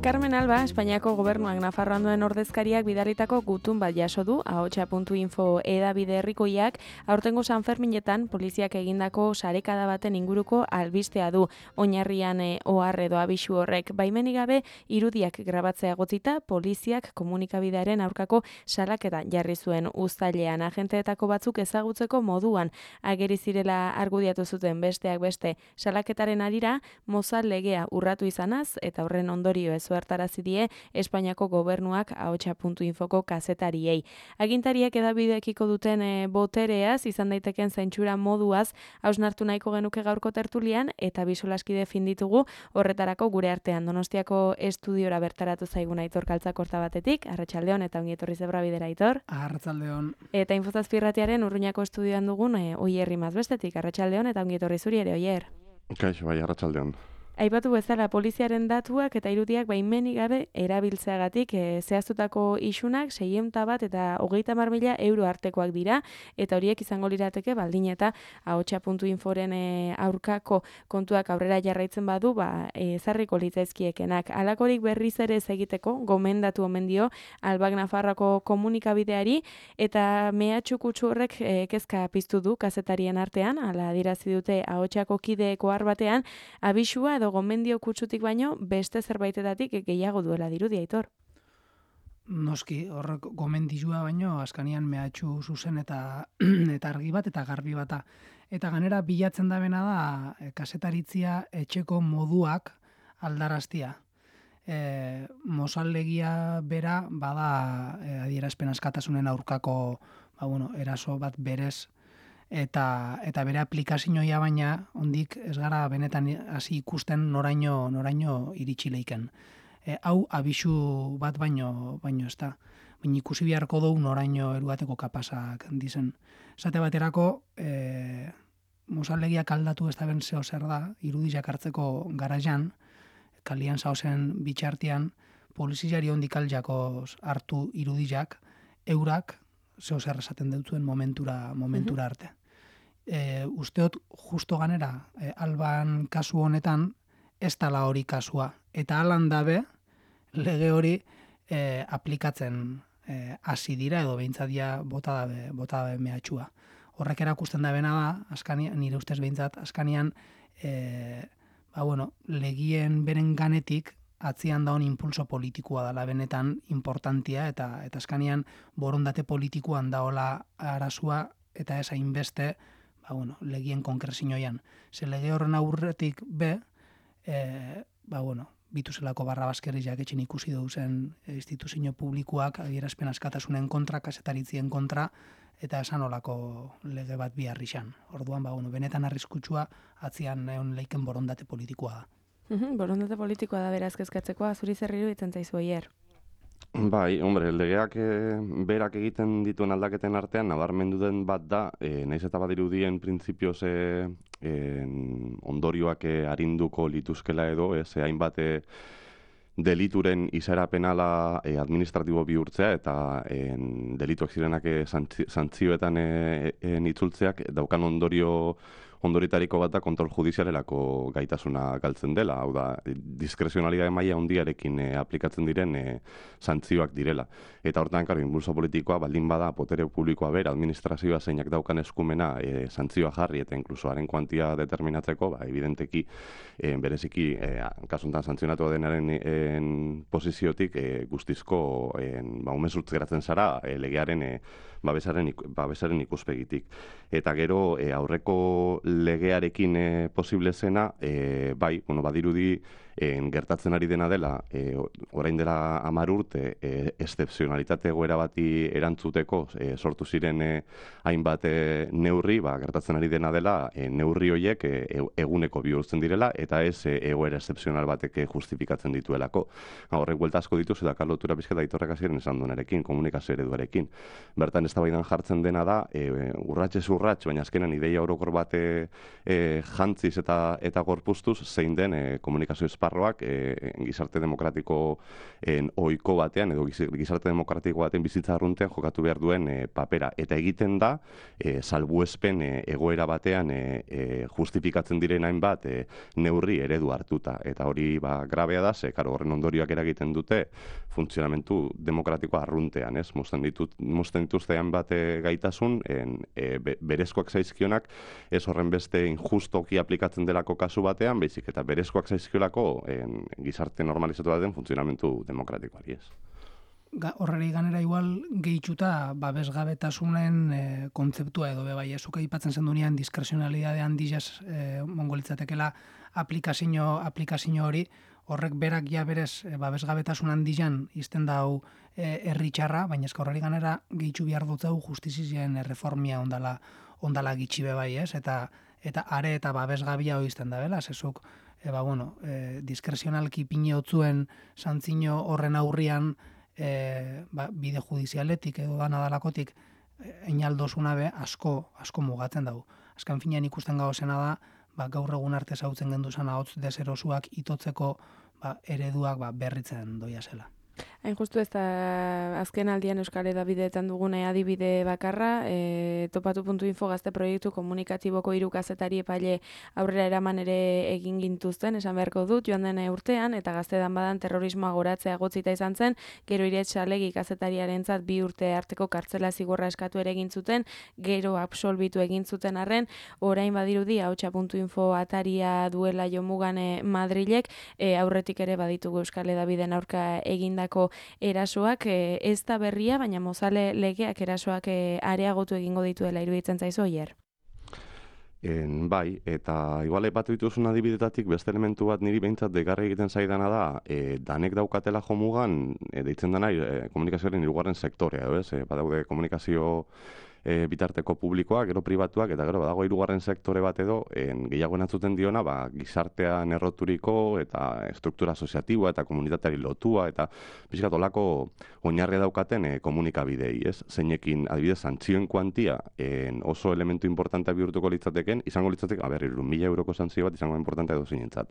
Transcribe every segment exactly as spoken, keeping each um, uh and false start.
Carmen Alba, Espainiako gobernuak Nafarroan duen ordezkariak bidalitako gutun bat jaso du, ahotsa puntu info edabide herrikoiak, aurtengo San Ferminetan poliziak egindako sarekada baten inguruko albistea du. Oinarrian e, ohar edo abisu horrek baimenik gabe irudiak grabatzea gotzita, poliziak komunikabidearen aurkako salaketa jarri zuen uztailean. Agenteetako batzuk ezagutzeko moduan ageri zirela argudiatu zuten, besteak beste salaketaren arira Mozal legea urratu izanaz eta horren ondorio ez zuertarazi die Espainiako gobernuak ahotsa puntu infoko kazetariei. Agintariek edabideekiko duten e, botereaz, izan daiteken zentsura moduaz, hausnartu nahiko genuke gaurko tertulian, eta bisolaskide fin ditugu horretarako gure artean. Donostiako estudiora bertaratu zaigun Aitor Kaltzakorta batetik, arratsaldeon eta ongi etorri Zebra Bidera, Aitor. Arratsaldeon. Eta Infozazpirratiaren Urruñako estudioan dugun e, Oier Rimaz bestetik, arratsaldeon eta ongi etorri zuri ere, Oier. Kaixo, bai, arratsaldeon. Aipatu bezala poliziaren datuak eta irudiak baimenik gabe erabiltzeagatik e, zehaztutako isunak seiehun bat eta hogeita hamar mila euro artekoak dira, eta horiek izango lirateke baldin eta ahotsa puntu inforen e, aurkako kontuak aurrera jarraitzen badu, ba, ezarriko litzaizkiekenak. Halakorik berriz ere ez egiteko gomendatu omen dio Albak Nafarroako komunikabideari, eta mehatxu kutsu horrek e, kezka piztu du kazetarien artean, hala adierazi dute ahotsako kideeko har batean, abisua edo gomendio kutsutik baino beste zerbaitetatik gehiago duela dirudi, Aitor. Noski, horrek gomendioa baino askanian mehatxu zuzen eta eta argi bat eta garbi bata. Eta ganera bilatzen da bena da kazetaritzia etxeko moduak aldaraztia. E, Mozallegia bera bada e, adierazpen askatasunen aurkako ba, bueno, eraso bat berez, eta eta bere aplikazioa baina hondik ez gara benetan hasi ikusten noraino noraino iritsi leiken. E, hau abisu bat baino baino ez da. Baina ikusi beharko dugu noraino eruateko kapasak dizen. Esate baterako e, Mozallegiak aldatu ez da ben zeo zer da, irudiak hartzeko garaian, kalian zauzen bitxartian, poliziari hondik aljakoz hartu irudiak, eurak zeo zer esaten deutzuen momentura, momentura arte. E, usteot justo ganera, e, Alban kasu honetan, ez tala hori kasua. Eta alan dabe, lege hori e, aplikatzen e, hasi dira, edo behintzadia bota dabe, bota dabe mehatxua. Horrek erakusten da bena da, askanian, nire ustez behintzat, askanian, e, ba bueno, legien beren ganetik, atzian daun impulso politikoa dela benetan importantia, eta eta askanian borondate politikoan daola arazua, eta ez hainbeste, ba bueno, legien konkrezioian. Ze lege horren aurretik be, e, ba bueno, bituzelako barra baskerriak etxen ikusi duzen instituzio publikoak adierazpen askatasunen kontra, kazetaritzien kontra, eta esan olako lege bat biharri xan. Orduan, ba bueno, benetan arriskutsua atzian egon leiken borondate politikoa da. Uhum, borondate politikoa da beraz kezkatzekoa, zuri zerriru itzen zaizu, Oier. Bai, hombre, legeak e, berak egiten dituen aldaketen artean nabarmendu den bat da, e, naiz eta badirudien printzipioz e, e, ondorioak e, arinduko lituzkela edo, ez e, hainbat e, delituren izaera penala e, administratibo bihurtzea eta e, delituak zirenak e, santzioetan e, e, itzultzeak daukan ondorio ondoritariko bat da kontrol judizialelako gaitasuna galtzen dela, hau da, diskrezionalidade maila handiarekin e, aplikatzen diren e, santzioak direla. Eta hortan, karo, impulso politikoa baldin bada, potere publikoa bera, administrazioa zeinak daukan eskumena e, santzioa jarri eta inkluso haren kuantia determinatzeko, ba, evidenteki, e, bereziki, e, kasuntan santzionatu denaren en, posiziotik e, guztizko e, ba, umezurtz geratzen zara e, legearen e, babesaren, babesaren ikuspegitik. Eta gero, e, aurreko legearekin e, posible zena, e, bai, bueno, badirudi e, gertatzen ari dena dela, e, orain dela hamar urte, e, excepzionalitate egoera bati erantzuteko e, sortu ziren e, hainbat e, neurri, ba, gertatzen ari dena dela, e, neurri horiek e, eguneko bihurtzen direla, eta ez e, egoera excepzional batek justifikatzen dituelako. Horrek buelta asko dituz, eta karlotura pizketa Aitorrek hasieran esan duenarekin, komunikazio ereduarekin. Bertan eztabaidan jartzen dena da, e, urratxez urratx, baina azkenan ideia orokor bat e, e, jantziz eta, eta gorpuztuz, zein den e, komunikazio espai esparroak e, gizarte demokratikoen ohiko batean edo gizarte demokratiko baten bizitza arruntean jokatu behar duen e, papera. Eta egiten da, e, salbuespen e, egoera batean e, e, justifikatzen diren hainbat e, neurri eredu hartuta. Eta hori ba, grabea da, ze karo, horren ondorioak eragiten dute funtzionamentu demokratikoa arruntean, ez? Mozten ditut, mozten dituzte hainbat e, gaitasun, en, e, be, berezkoak zaizkionak, ez horren beste injustoki aplikatzen delako kasu batean, baizik eta berezkoak zaizkiolako en, gizarte normalizatu baten funtzionamentu demokratikoari, ez? Horreri ganera igual gehitxuta babesgabetasunen e, kontzeptua edo bebai, ezuka aipatzen zendunean diskresionalidade handizaz e, mongolitzatekela aplikazio, aplikazio hori, horrek berak ja berez e, babesgabetasun handizan izten dau e, erritxarra, baina ezka horreri ganera gehitxu behar dutzeu justizizien reformia ondala, ondala gitxi bebai, ez? Eta, eta are eta babesgabia hori izten da, bela, zezuk, e, ba, bueno, e, diskrezionalki pine hotzuen santzino horren aurrian E, ba, bide judizialetik edo da nadalakotik einaldosuna be asko asko mugatzen dugu. Azken finean ikusten gauzena da, ba, gaur egun arte zautzen genduzan ahots deserosuak itotzeko ba, ereduak ba, berritzen doia zela. Hain justu ez da azken aldian Euskal Hedabideetan dugune adibide bakarra, e, topatu puntu info gazte proiektu komunikatiboko hiru kazetari epaile aurrera eraman ere egin gintuzten, esan beharko dut, joan den urtean, eta gaztedan badan terrorismoa goratzea egotzita izan zen, gero Iretxalegi kazetariarentzat bi urte arteko kartzela zigorra eskatu ere egin zuten, gero absolbitu egin zuten arren, orain badirudi ahotsa puntu info ataria duela jomugane Madrilek, e, aurretik ere baditugu Euskal Hedabideen aurka egindako erasoak, e, ez da berria, baina mozale legeak erasoak e, areagotu egingo dituela iruditzen zaizu oier. En, bai, eta igual aipatu dituzun adibidetatik beste elementu bat niri behintzat degarri egiten zaidana da, e, danek daukatela jomugan, e, deitzen dena e, komunikazioaren hirugarren sektorea, ez? E, badaude komunikazio e, bitarteko publikoak, gero pribatuak, eta gero badago hirugarren sektore bat edo, en, gehiago entzuten diona, ba, gizartean erroturiko, eta struktura asoziatiboa, eta komunitateari lotua, eta pixkat olako oinarria daukaten e, komunikabidei, ez? Zeinekin, adibidez, santzioen kuantia en, oso elementu importantea bihurtuko litzateken, izango litzateke, a ber, mila euroko santzio bat izango importantea edo zinentzat.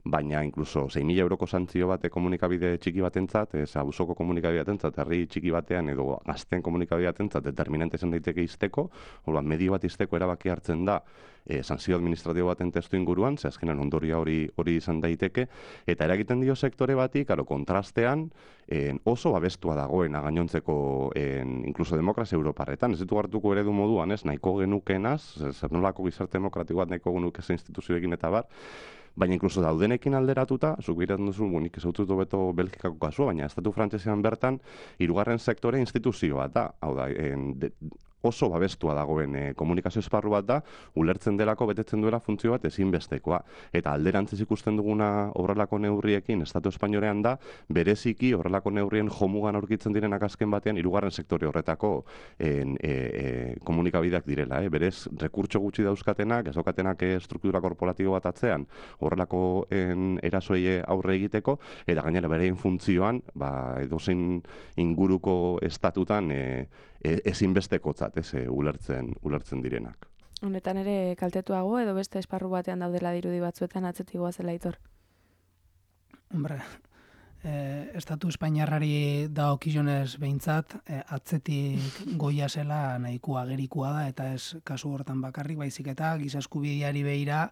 Baina, inkluso, sei mila euroko santzio bate komunikabide txiki batentzat, ez abusoko komunikabide batentzat, herri txiki batean edo gazten komunikabide batentzat determinante izan daiteke izteko, orduan medio bat izteko erabaki hartzen da e, sanzio administratibo baten testu inguruan, ze azkenan ondoria hori hori izan daiteke, eta eragiten dio sektore bati, karo, kontrastean, en, oso babestua dagoena gainontzeko en, inkluso demokrazia europarretan, ez ditu hartuko eredu moduan, ez, nahiko genukenaz, zer nolako gizarte demokratiko bat nahiko genuke ze instituzioekin eta bar, baina inkluso daudenekin alderatuta, zuk biratzen duzu, nik ez haututu beto Belgikako kasua, baina estatu frantsesean bertan, hirugarren sektore instituzioa da, hau da, en, de, oso babestua dagoen e, komunikazio esparru bat da, ulertzen delako betetzen duela funtzio bat ezinbestekoa. Eta alderantziz ikusten duguna horrelako neurriekin Estatu Espainolean da, bereziki horrelako neurrien jomugan aurkitzen direnak azken batean hirugarren sektore horretako en, e, e, komunikabideak direla. Eh? Berez, rekurtso gutxi dauzkatenak, ez daukatenak e, struktura korporatibo bat atzean, horrelako en, erasoei aurre egiteko, eta gainera berein funtzioan, ba, edozein inguruko estatutan e, e, ezinbestekotzat, ez, e, ulertzen, ulertzen direnak. Honetan ere kaltetuago edo beste esparru batean daudela dirudi batzuetan atzetigoa zela Aitor? Hombre, eh, Estatu Espainiarrari dagokionez behintzat, eh, atzetik goia zela nahikoa gerikoa da, eta ez kasu hortan bakarrik, baizik eta giza eskubideari begira,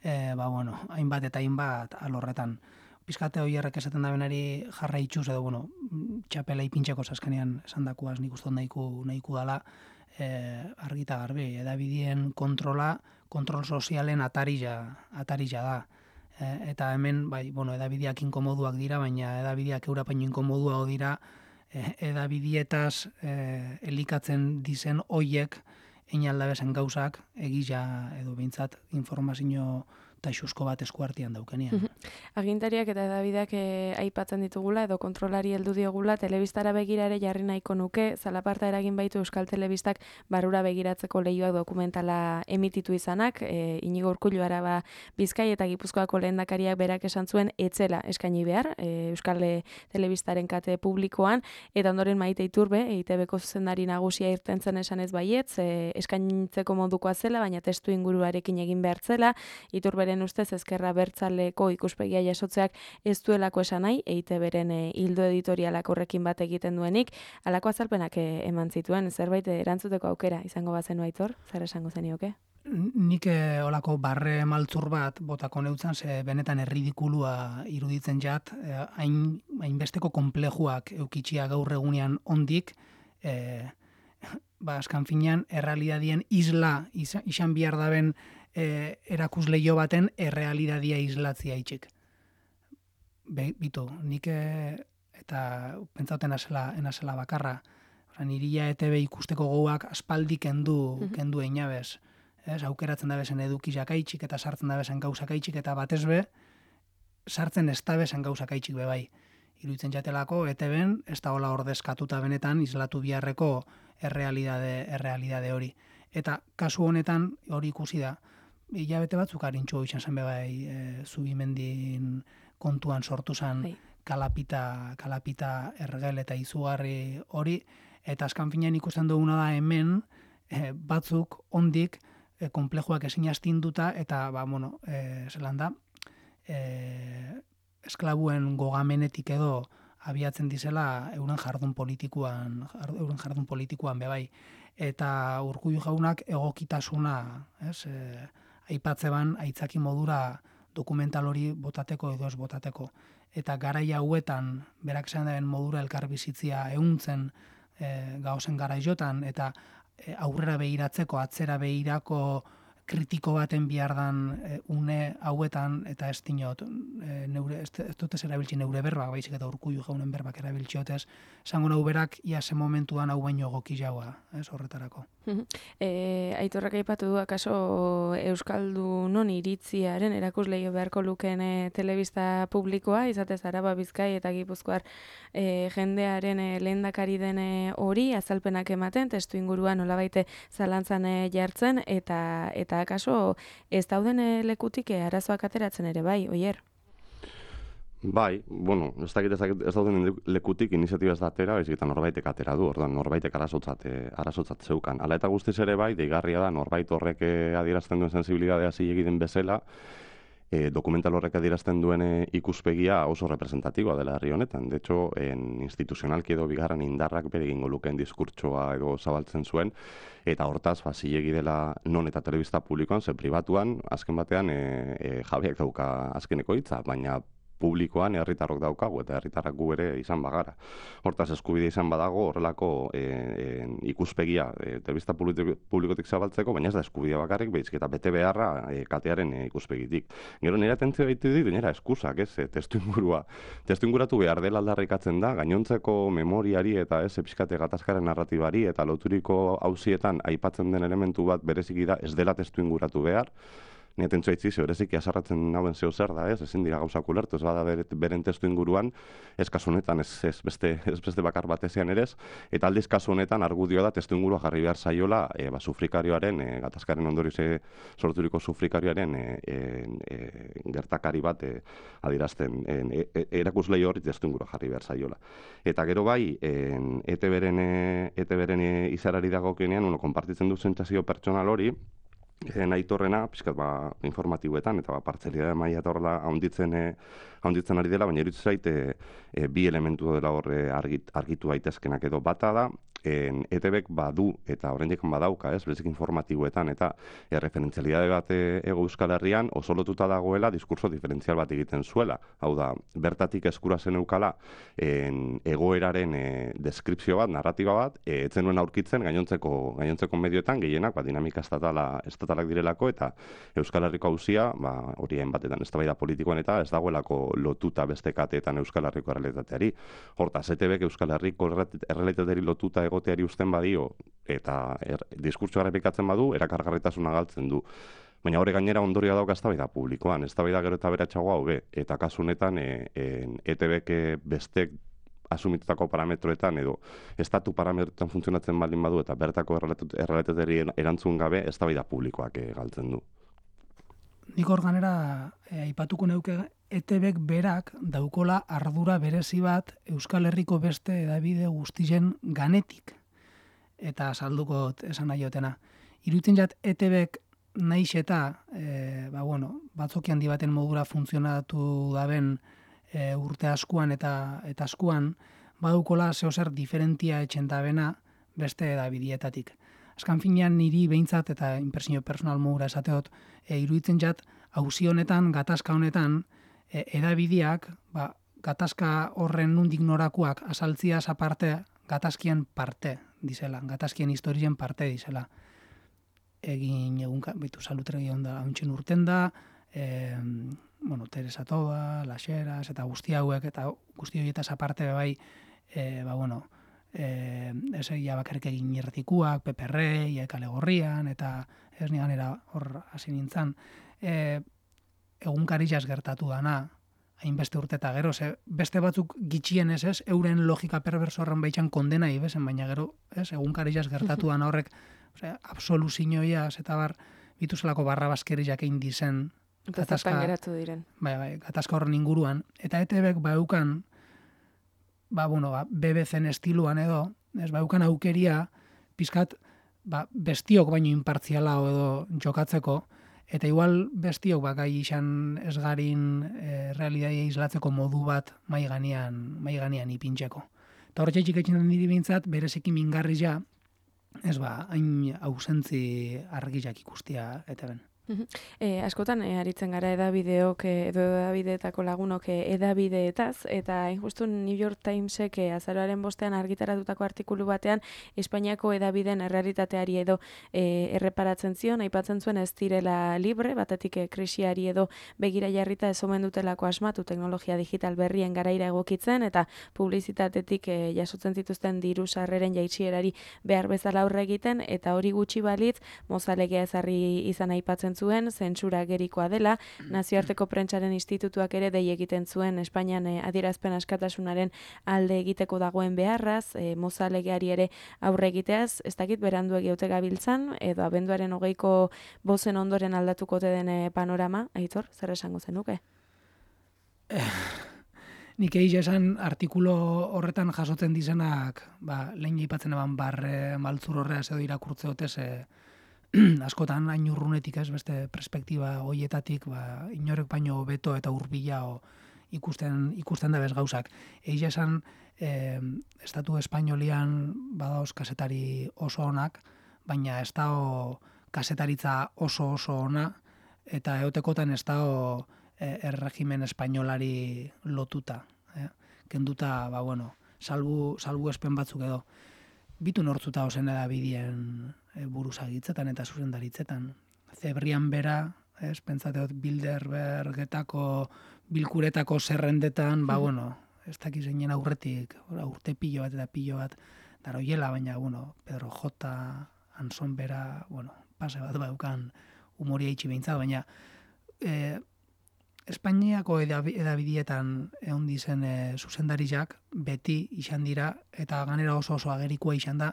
eh, ba, bueno, hainbat eta hainbat alorretan. Pizkate hoierrek esaten da benari jarra itxuz, edo, bueno, txapela ipintxeko zaskenean esan dakuaz nik uste nahiko, nahiko dala, eh, argita garbi, edabideen kontrola, kontrol sozialen atarila, atarila da. Eh, eta hemen, bai, bueno, edabideak inkomoduak dira, baina edabideak eurapaino inkomodua dira, eh, edabidietaz eh, elikatzen dizen hoiek einaldabezen gauzak egila edo behintzat informazio taxuzko bat eskuartian daukenian. Agintariak eta edabideak e, aipatzen ditugula edo kontrolari heldu diogula, telebistara begirare jarri nahiko nuke, zalaparta eragin baitu Euskal Telebistak barrura begiratzeko lehioak dokumentala emititu izanak, e, Inigo Urkullu Araba Bizkai eta Gipuzkoako lehendakariak berak esan zuen etzela eskaini behar, e, Euskal Telebistaren kate publikoan, eta ondoren Maite Iturbe, E I Te Beko zuzendari nagusia irten zen esanez baietz, e, eskaintzeko modukoa zela, baina testu inguruarekin egin behar zela, Iturberen beren ustez ezkerra bertzaleko ikuspegia jasotzeak ez duelako esan nahi, E I Te Beren e, hildo editorialak horrekin bat egiten duenik, halako azalpenak e, eman zituen, zerbait erantzuteko aukera izango bazenu Aitor, zer esango zenioke? Nik eh, olako barre maltzur bat botako neutzan, ze benetan erridikulua iruditzen jat, eh, hain, hainbesteko konplejuak eukitxia gaur egunean ondik, eh, ba, askan finean, errealidadien isla izan bihar daben eh, erakusleio baten errealidadia islatzia itxik. Be, bitu, nik eh, eta pentsauten enazela, enazela bakarra, niria E Te Be ikusteko gogoak aspaldi kendu, mm-hmm. kendu einabez. Ez, aukeratzen da bezen edukizak aitxik eta sartzen da bezen gauzak aitxik eta batez be, sartzen ez da bezen gauzak aitxik be bai. Iruditzen jatelako, E Te Ben, ez da hola ordezkatuta benetan, islatu biharreko errealidade, errealidade hori. Eta kasu honetan, hori ikusi da, hilabete batzuk harintxu izan zen be bai, e, Zubimendin kontuan sortu zen hey. kalapita, kalapita ergel eta izugarri hori, eta azkan finean ikusten duguna da hemen, e, batzuk ondik, E, konplejuak ezin astinduta eta ba, bueno, e, zelan da, e, esklabuen gogamenetik edo abiatzen dizela euren jardun politikuan, euren jardun politikuan bebai. Eta Urkullu jaunak egokitasuna, ez, e, aipatzeban aitzaki modura dokumental hori botateko edo ez botateko. Eta garai hauetan, berak zean daren modura elkarbizitzia ehuntzen e, gauzen garai jotan, eta aurrera behiratzeko, atzera behirako kritiko baten bihardan e, une hauetan, eta ez dinot, e, neure, ez, ez dut ez erabiltzi neure berbak, baizik eta Urkullu jaunen berbak erabiltziotez, zango nau berak, iase momentuan hau baino goki jaua, ez horretarako. E, Aitorrak aipatu du, akaso Euskaldunon iritziaren erakusleio beharko lukeen e, telebista publikoa, izatez Araba, Bizkai eta Gipuzkoar e, jendearen e, lehendakari den hori, azalpenak ematen, testu inguruan nolabaite zalantzan e, jartzen, eta eta akaso ez dauden e, lekutik e, arazoak ateratzen ere bai, Oier? Bai, bueno, ez dakit ez, dakit, ez dauden lekutik iniziatiba ez da atera, baizik eta norbaitek atera du, orduan norbaitek arazotzat, arazotzat zeukan. Hala eta guztiz ere bai, deigarria da norbait horrek adierazten duen sensibilidadea zilegi den bezala, e, dokumental horrek adierazten duen e, ikuspegia oso representatiboa dela herri honetan. De hecho, en instituzionalki edo bigarren indarrak bere egingo lukeen diskurtsoa edo zabaltzen zuen, eta hortaz, ba, zilegi dela non eta telebista publikoan, ze pribatuan, azken batean, e, e, jabeak dauka azkeneko hitza, baina publikoan herritarrok daukagu eta herritarrak gu ere izan bagara. Hortaz eskubide izan badago horrelako e, e, ikuspegia e, telebista publikotik zabaltzeko, baina ez da eskubidea bakarrik, baizik eta bete beharra e, katearen e, ikuspegitik. Gero nire atentzio baitu dit, nire eskusak, ez, e, testu ingurua. Testu inguratu behar dela aldarrikatzen da, gainontzeko memoriari eta ez, epizkate gatazkaren narratibari eta loturiko hauzietan aipatzen den elementu bat bereziki da ez dela testu inguratu behar. Ni atentzua itzi, bereziki azarratzen nauen zeo zer da, ez, ezin dira gauzak ulertu, ez bada beren testu inguruan, ez kasu honetan, ez, ez, beste, ez beste bakar batezean ere ez, eta aldiz kasu honetan argudioa da testu ingurua jarri behar zaiola, e, ba, sufrikarioaren, e, gatazkaren ondorioz sorturiko sufrikarioaren e, e, e, gertakari bat e, adirazten, e, e, erakuslei hori testu ingurua jarri behar zaiola. Eta gero bai, E Te Beren, E Te Beren izarari dagokienean, uno, konpartitzen du sentsazio pertsonal hori, E, Aitorrena, pixkat ba, informatiboetan, eta ba, partzelidade maila eta horrela haunditzen, e, haunditzen ari dela, baina iruditzen zait e, e, bi elementu dela horre argit, argitu daitezkenak edo bata da, en, E Te Bek badu eta oraindik badauka, ez, berezik informatiboetan, eta e, referentzialidade bat e, ego Euskal Herrian oso lotuta dagoela diskurso diferentzial bat egiten zuela. Hau da, bertatik eskura zen eukala en, egoeraren e, deskripzio bat, narratiba bat, e, etzen nuen aurkitzen gainontzeko, gainontzeko medioetan gehienak, ba, dinamika estatala, estatalak direlako, eta Euskal Herriko auzia, ba, horien batetan eztabaida politikoan eta ez dagoelako lotuta beste kateetan Euskal Herriko errealitateari. Hortaz, E Te Bek Euskal Herriko errealitateari lotuta egoteari uzten badio, eta er, diskurtsoa errepikatzen badu, erakargarritasuna galtzen du. Baina hori gainera ondorioa dauka eztabaida publikoan, eztabaida gero eta beratxagoa hobe, eta kasu honetan e, e, E Te Bek bestek asumitutako parametroetan edo estatu parametroetan funtzionatzen baldin badu eta bertako errealitateari erantzun gabe eztabaida publikoak e, galtzen du. Nik hor ganera e, aipatuko neuke E Te Bek berak daukola ardura berezi bat Euskal Herriko beste hedabide guztien ganetik. Eta salduko esan nahiotena. Iruditzen jat E Te Bek naiz eta, e, ba, bueno, batzoki handi baten modura funtzionatu daben e, urte askuan eta eta askuan, badukola zeo zer diferentia etxen dabena beste edabidietatik. Azkan finean niri behintzat eta impresio personal modura esateot, e, iruditzen jat, auzi honetan, gatazka honetan, e, edabideak, ba, gatazka horren nundik norakuak asaltziaz aparte, gatazkien parte dizela, gatazkien historien parte dizela. Egin egunka, bitu salutregi onda hauntxen urten da, e, bueno, Teresa Toba, Laxeras, eta guzti hauek, eta guzti horietaz aparte bai, e, ba, bueno, e, ez egia bakarrik egin irretikuak, Pepe Rey, Kale Gorrian, eta ez nigan era hor hasi nintzen. E, egunkari jaz gertatu dana, hainbeste urte eta gero, ze beste batzuk gitxien ez ez, euren logika perverso horren baitxan kondena ibesen, baina gero, ez, egunkari jaz gertatu dana horrek, osea, absoluzioiaz eta bar, bituzelako barra baskeriak egin dizen, gatazka geratu diren. Bai, bai, gatazka horren inguruan. Eta E T Bek baukan, ba, bueno, ba, B B Cen estiluan edo, ez baukan aukeria, pizkat, ba, bestiok baino inpartziala edo jokatzeko, eta igual bestiok ba, gai izan esgarin e, realidadia islatzeko modu bat mai ganean, mai ganean ipintzeko. Eta hor txaitxik etxen diri bintzat, bereziki mingarri ja, ez ba, hain ausentzi argizak ikustia eta ben. E, askotan e, aritzen gara edabideok edo edabideetako lagunok edabideetaz, eta hain justu New York Timesek e, azaroaren bostean argitaratutako artikulu batean Espainiako edabideen errealitateari edo e, erreparatzen zion, aipatzen zuen ez direla libre, batetik e, krisiari edo begira jarrita ez omen dutelako asmatu teknologia digital berrien garaira egokitzen, eta publizitatetik e, jasotzen zituzten diru sarreren jaitsierari behar bezala aurre egiten, eta hori gutxi balitz, mozalegea ezarri izan aipatzen zuen, zentsura gerikoa dela, nazioarteko prentsaren institutuak ere dei egiten zuen Espainian eh, adierazpen askatasunaren alde egiteko dagoen beharraz, eh, mozalegeari ere aurre egiteaz, ez dakit berandu egiote gabiltzan, edo abenduaren hogeiko bozen ondoren aldatuko te den eh, panorama, Aitor, zer esango zenuke? Eh, nik egin esan artikulo horretan jasotzen dizenak, ba, lehen jipatzen eban barre maltzur horreaz edo irakurtze hotez, eh, askotan hain urrunetik ez beste perspektiba hoietatik ba, inorek baino beto eta hurbila ikusten ikusten da bez gauzak. Egia esan eh, estatu espainolian badaoz kasetari oso onak, baina ez dao kasetaritza oso oso ona eta eotekotan ez dao eh, erregimen espainolari lotuta. Eh? Kenduta, ba bueno, salbu, salbu espen batzuk edo. Bitu nortzuta ozen edabidien e, buruzagitzetan eta zuzendaritzetan. Zebrian bera, ez, pentsateot Bilderbergetako, bilkuretako zerrendetan, ba, bueno, ez dakiz zeinen aurretik, urte pilo bat eta pilo bat, daroiela, baina, bueno, Pedro J, Anson bera, bueno, pase bat baukan humoria itxi behintzat, baina e, Espainiako edabidietan egon dizen e, zuzendariak beti izan dira, eta ganera oso oso agerikoa izan da,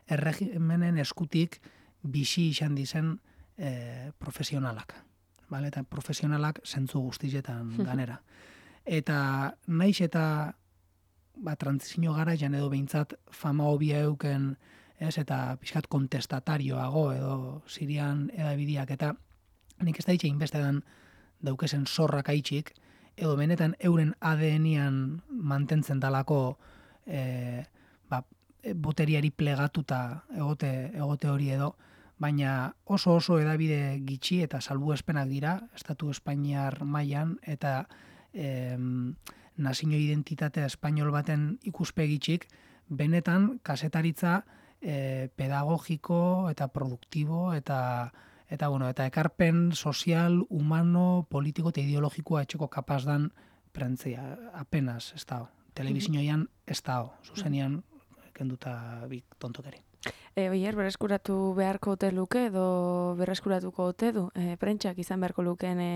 erregimenen eskutik bizi izan dizen e, profesionalak. Vale? Eta profesionalak zentzu guztietan ganera. Eta naiz eta ba, trantzizio garaian edo behintzat fama hobia euken, ez, eta pixkat kontestatarioago edo Sirian edabidiak, eta nik ez da itxe inbestetan daukesen zorrak aitxik, edo benetan euren A D N-ian mantentzen dalako e, ba, boteriari plegatuta egote, egote hori edo, baina oso oso edabide gitxi eta salbuespenak dira, Estatu Espainiar mailan eta e, nazio identitatea espainol baten ikuspegitxik, benetan kasetaritza e, pedagogiko eta produktibo eta Eta, bueno, eta ekarpen sozial, humano, politiko eta ideologikoa etxeko kapaz dan prentzia, apenas ez da. Telebizioian ez da, zuzenian kenduta bik tontokeri. E, Oier, berreskuratu beharko ote luke edo berreskuratuko ote du? E, prentsak izan beharko lukeen e,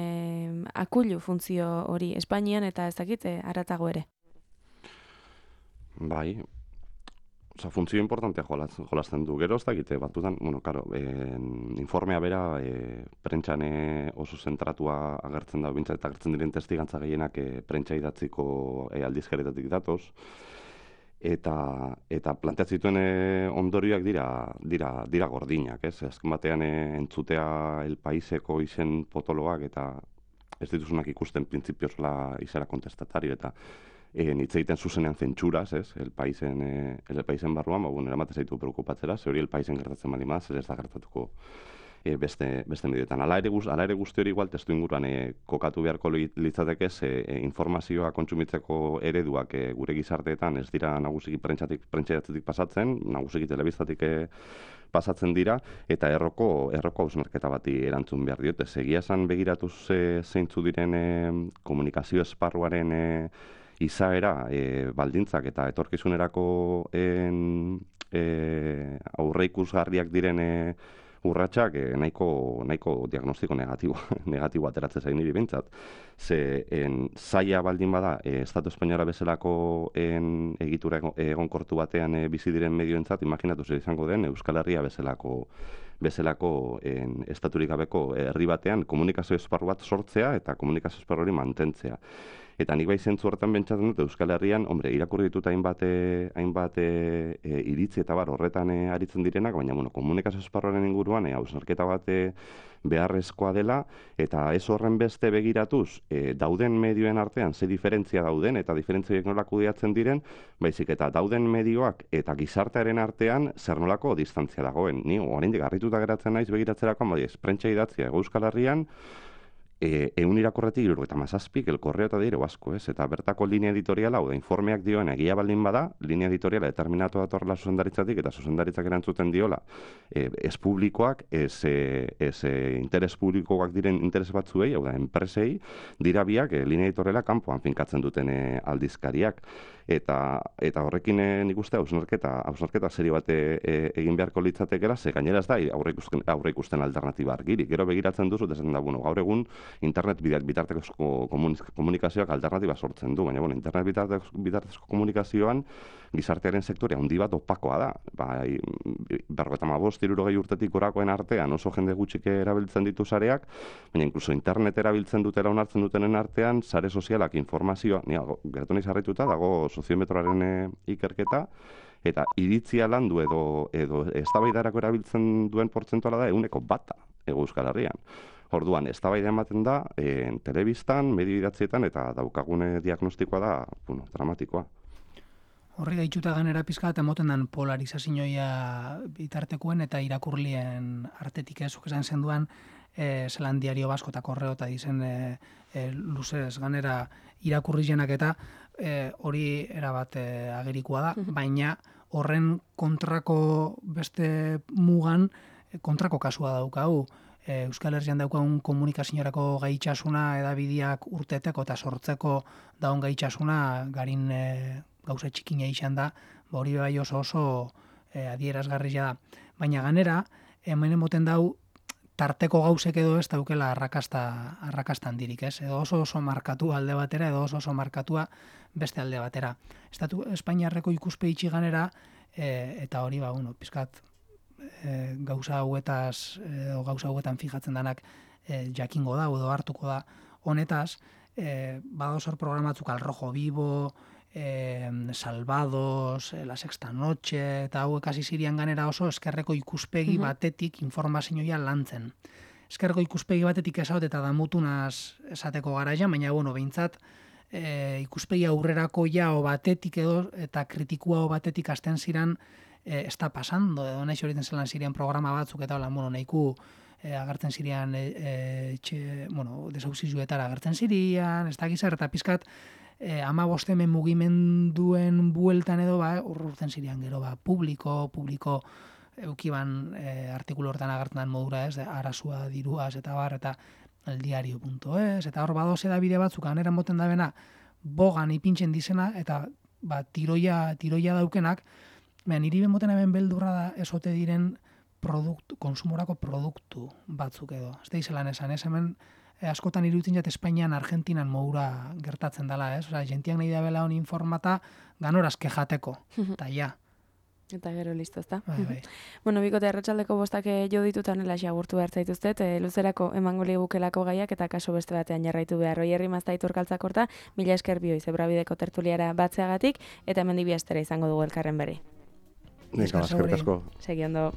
akulu funtzio hori Espainian eta ez dakit, e, haratago ere. Bai, oza, funtzio importantea jolasten du. Gero ez dakite, batutan, bueno, karo, en, informea bera, e, prentxane oso zentratua agertzen da, bintzat, eta agertzen diren testigantza gehienak e, prentxa idatziko e, aldizkaretatik datoz. eta eta planteatzen zituen e, ondorioak dira dira dira gordinak, ez? Azken batean e, entzutea El Paiseko izen potoloak eta ez dituzunak ikusten printzipioz la izera kontestatario eta e, hitz egiten zuzenean zentsuraz, ez? El Paisen e, El Paisen barruan, ba bueno, eramaten zaitu preokupatzera, ze hori El Paisen gertatzen bali maz, ez da gertatuko E, beste, beste medioetan. Ala ere, ala ere guzti hori igual testu inguruan e, kokatu beharko litzateke ze e, informazioa kontsumitzeko ereduak e, gure gizarteetan ez dira nagusiki prentsatik prentsatik pasatzen, nagusiki telebistatik e, pasatzen dira eta erroko erroko hausnarketa bati erantzun behar diote. Egia esan begiratuz e, zeintzu diren e, komunikazio esparruaren e, izaera, e, baldintzak eta etorkizunerako en, e, aurreikusgarriak diren e, urratsak eh, nahiko nahiko diagnostiko negatibo negatibo ateratzen zain niri behintzat. Ze en zaila baldin bada eh, Estatu Espainiara bezalako en egitura egonkortu batean eh, bizi diren medioentzat, imaginatu zer izango den Euskal Herria bezalako bezalako en estaturik gabeko herri batean komunikazio esparru bat sortzea eta komunikazio esparru hori mantentzea. Eta nik bai zentzu horretan bentsatzen dut Euskal Herrian, hombre, irakurri ditut hainbat e, hainbat e, e, iritzi eta bar horretan e, aritzen direnak, baina bueno, komunikazio esparruaren inguruan e, hausnarketa bat e, beharrezkoa dela eta ez horren beste begiratuz e, dauden medioen artean ze diferentzia dauden eta diferentziak nola kudeatzen diren, baizik eta dauden medioak eta gizartearen artean zer nolako distantzia dagoen. Ni oraindik harrituta geratzen naiz begiratzerakoan, bai, prentsa idatzia Euskal Herrian E, eun irakurretik hirurogeita hamazazpik, El Correo eta Diario Vasco, ez? Eta bertako linea editoriala, hau da, informeak dioen egia baldin bada, linea editoriala determinatu datorrela zuzendaritzatik eta zuzendaritzak erantzuten diola, e, ez publikoak, ez, e, ez e, interes publikoak diren interes batzuei, hau da, enpresei, dira biak e, linea editoriala kanpoan finkatzen duten e, aldizkariak. Eta eta horrekin e, nik uste hausnarketa hausnarketa serio bat e, egin beharko litzatekeela, ze gainera ez da aurre ikusten aurre ikusten alternatiba argirik. Gero begiratzen duzu esan da, bueno, gaur egun internet bitarteko komunikazioak alternatiba sortzen du, baina bueno, internet bitarteko, bitarteko komunikazioan gizartearen sektorea handi bat opakoa da. Bai, berrogeita hamabost hirurogei urtetik gorakoen artean oso jende gutxik erabiltzen ditu sareak, baina inkluso internet erabiltzen dutela onartzen dutenen artean sare sozialak informazioa, ni geratu naiz harrituta dago soziometroaren e, ikerketa eta iritzia landu edo edo eztabaidarako erabiltzen duen portzentuala da ehuneko bata Hego Euskal Herrian. Orduan, eztabaida ematen da e, telebistan, medio idatzietan eta daukagune diagnostikoa da, bueno, dramatikoa. Horri gaitxuta ganera pizka eta emoten den polarizazioa bitartekoen eta irakurlien artetik ez, esan zenduan, e, zelan Diario Vasco eta Correo eta dizen e, e, luzez ganera irakurrizenak eta e, hori erabat e, agerikoa da, baina horren kontrako beste mugan e, kontrako kasua daukagu. E, Euskal Herrian daukagun komunikaziorako gaitxasuna edabideak urteteko eta sortzeko daun gaitxasuna garin e, gauza txikina izan da, ba hori bai oso oso e, adierazgarria da. Baina ganera, hemen emoten dau, tarteko gauzek edo ez daukela arrakasta, arrakasta handirik, ez? Edo oso oso markatua alde batera, edo oso oso markatua beste alde batera. Estatu Espainiarreko ikuspegi ganera, e, eta hori, ba, bueno, pizkat, e, gauza hauetaz, edo gauza hauetan fijatzen danak e, jakingo da, edo hartuko da, honetaz, e, badozor programatzuk Al Rojo Vivo, Eh, Salvados, eh, La Sexta Noche, eta hauek hasi ziren ganera oso eskerreko ikuspegi batetik informazioa lantzen. Eskerreko ikuspegi batetik esaut eta damutunaz esateko garaia, baina bueno, behintzat eh, ikuspegi aurrerako jao batetik edo eta kritikua batetik hasten ziren eh, ez da pasando, edo nahi horiten zelan ziren programa batzuk eta hola, bueno, nahiku eh, agertzen ziren eh, eh, txe, bueno, desauzizuetara agertzen ziren, ez da gizar, eta pizkat E, ama bostemen mugimenduen bueltan edo ba, urrurten zirean gero ba, publiko, publiko eukiban e, artikulu hortan agertan modura ez, arazua diruaz eta bar, eta eldiario punto es, eta hor badoz edabide batzuk anera moten da bena, bogan ipintzen dizena, eta ba, tiroia, tiroia daukenak, behan niri benmoten hemen beldurra da esote diren produktu, konsumorako produktu batzuk edo. Ez da izelan esan, ez hemen E, askotan iruditzen jat Espainian, Argentinan moura gertatzen dela, ez? Osa, jentiak nahi da bela hon informata ganoraz kejateko, eta ja. Eta gero listo, ezta? Bai, bai. Bueno, bikote arratsaldeko bostak jo ditutan elaxi agurtu behar zaituztet, e, luzerako emango ligukelako gaiak eta kaso beste batean jarraitu behar. Oierri maztaitur kaltzakorta, mila esker bioi zebrabideko tertuliara batzeagatik, eta hemen dibi astera izango dugu elkarren berri. Nik, eskerrik asko. Segi ondo.